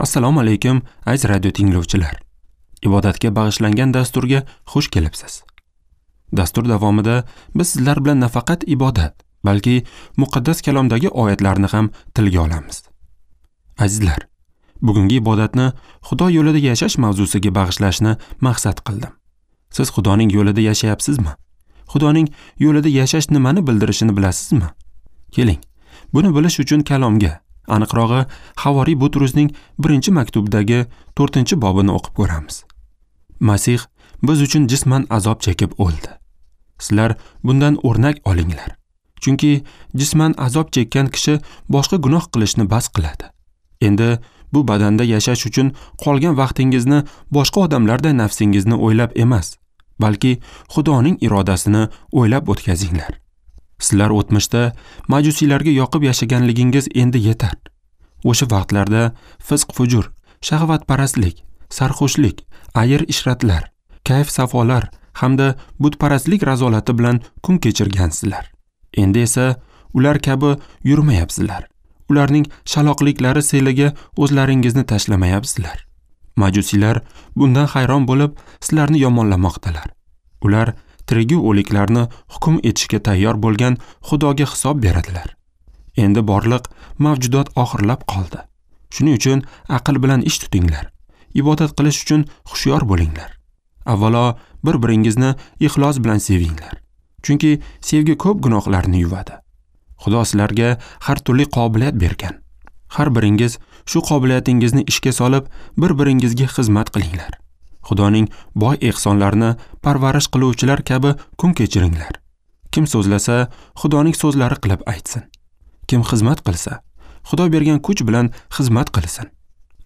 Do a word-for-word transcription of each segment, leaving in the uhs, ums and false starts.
Assalomu alaykum, aziz radio tinglovchilar. Ibodatga bag'ishlangan dasturga xush kelibsiz. Dastur davomida biz sizlar bilan nafaqat ibodat, balki muqaddas kalomdagi oyatlarni ham tilga olamiz. Azizlar, bugungi ibodatni Xudo yo'lida yashash mavzusiga bag'ishlashni maqsad qildim. Siz Xudoning yo'lida yashayapsizmi? Xudoning yo'lida yashash nimani bildirishini bilasizmi? Keling, buni bilish uchun kalomga, aniqrog'i Havoriy Butrusning birinchi maktubidagi to'rtinchi bobini o'qib ko'ramiz. Masih biz uchun jisman azob chekib o'ldi. Sizlar bundan o'rnak olinglar. Chunki jisman azob chekkan kishi boshqa gunoh qilishni bas qiladi. Endi bu badanda yashash uchun qolgan vaqtingizni boshqa odamlarday nafsingizni o'ylab emas, balki Xudoning irodasini o'ylab o'tkazinglar. Sizlar o'tmishda majusiylarga yoqib yashaganligingiz endi yetar. O'sha vaqtlarda fisq-fujur, shahvatparastlik, sarxushlik, ayir-ishratlar, kayf-safolar hamda butparastlik razolati bilan kun kechirgansizlar. Endi esa ular kabi yurmayapsizlar. Ularning shaloqliklari seliga o'zlaringizni tashlamayapsizlar. Majusiylar bundan hayron bo'lib, sizlarni yomonlamoqdalar. Ular tirigu o'liklarni hukm etishga tayyor bo'lgan Xudoga hisob beradilar. Endi borliq mavjudot oxirlab qoldi. Shuning uchun aql bilan ish tutinglar. Ibodat qilish uchun hushyor bo'linglar. Avvalo bir-biringizni ixlos bilan sevinglar. Chunki sevgi ko'p gunohlarni yuvadi. Xudo sizlarga har turli qobiliyat bergan. Har biringiz shu qobiliyatingizni ishga solib, bir-biringizga xizmat qilinglar. Xudoning boy ehsonlarini parvarish qiluvchilar kabi kun kechiringlar. Kim so'zlasa, Xudoning so'zlari qilib aytsin. Kim xizmat qilsa, Xudo bergan kuch bilan xizmat qilsin.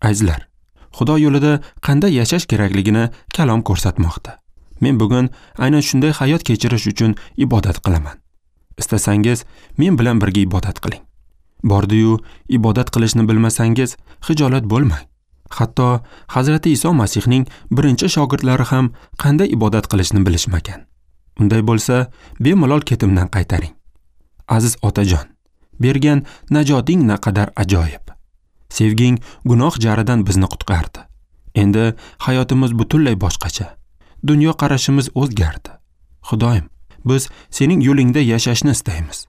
Azizlar, Xudo yo'lida qanday yashash kerakligini kalom ko'rsatmoqda. Men bugun aynan shunday hayot kechirish uchun ibodat qilaman. Istasangiz, men bilan birga ibodat qiling. Bordi-yu, ibodat qilishni bilmasangiz, xijolat bo'lmang. Hatto Hazrati Iso Masihning birinchi shogirdlari ham qanday ibodat qilishni bilishmagan. Unday bo'lsa, bemalol ketimdan qaytaring. Aziz otajon, bergan najoting naqadar ajoyib. Sevging gunoh jaridan bizni qutqardi. Endi hayotimiz butunlay boshqacha. Dunyo qarashimiz o'zgardi. Xudoyim, biz sening yo'lingda yashashni istaymiz.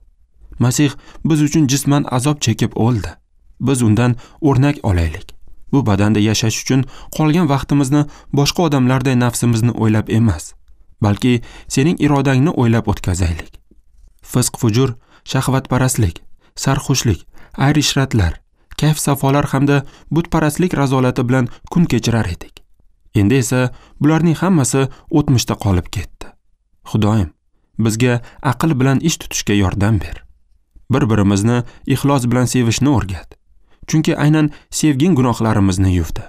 Masih biz uchun jisman azob chekib o'ldi. Biz undan o'rnak olaylik. Bu badanda yashash uchun qolgan vaqtimizni boshqa odamlarday nafsimizni o'ylab emas, balki sening irodangni o'ylab o'tkazaylik. Fisq-fujur, shahvatparastlik, sarxushlik, ayr-ishratlar, kayf-safolar hamda butparastlik razolati bilan kun kechirar edik. Endi esa bularning hammasi o'tmishda qolib ketdi. Xudoyim, bizga aql bilan ish tutishga yordam ber. Bir-birimizni ixlos bilan sevishni o'rgat. Chunki aynan sevging gunohlarimizni yuvdi.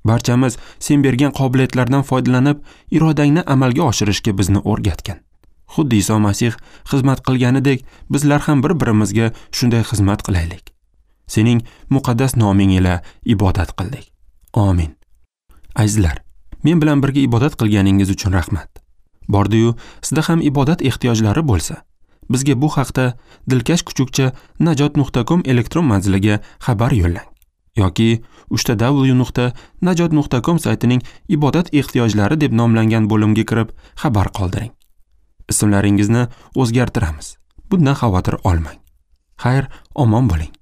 Barchamiz sen bergan qobiliyatlardan foydalanib, irodangni amalga oshirishga bizni o'rgatgin. Xuddi Iso Masih xizmat qilganidek, bizlar ham bir-birimizga shunday xizmat qilaylik. Sening muqaddas noming ila ibodat qildik. Amin. Azizlar, men bilan birga ibodat qilganingiz uchun rahmat. Bordi-yu, sizda ham ibodat ehtiyojlari bo'lsa, bizga bu haqda dilkash kuchukcha najot nuqta com elektron manziliga xabar yo'llang yoki uchta w nuqta najot nuqta com saytining ibodat ehtiyojlari deb nomlangan bo'limga kirib xabar qoldiring. Ismlaringizni o'zgartiramiz. Bundan xavotir olmang. Xayr, omon bo'ling.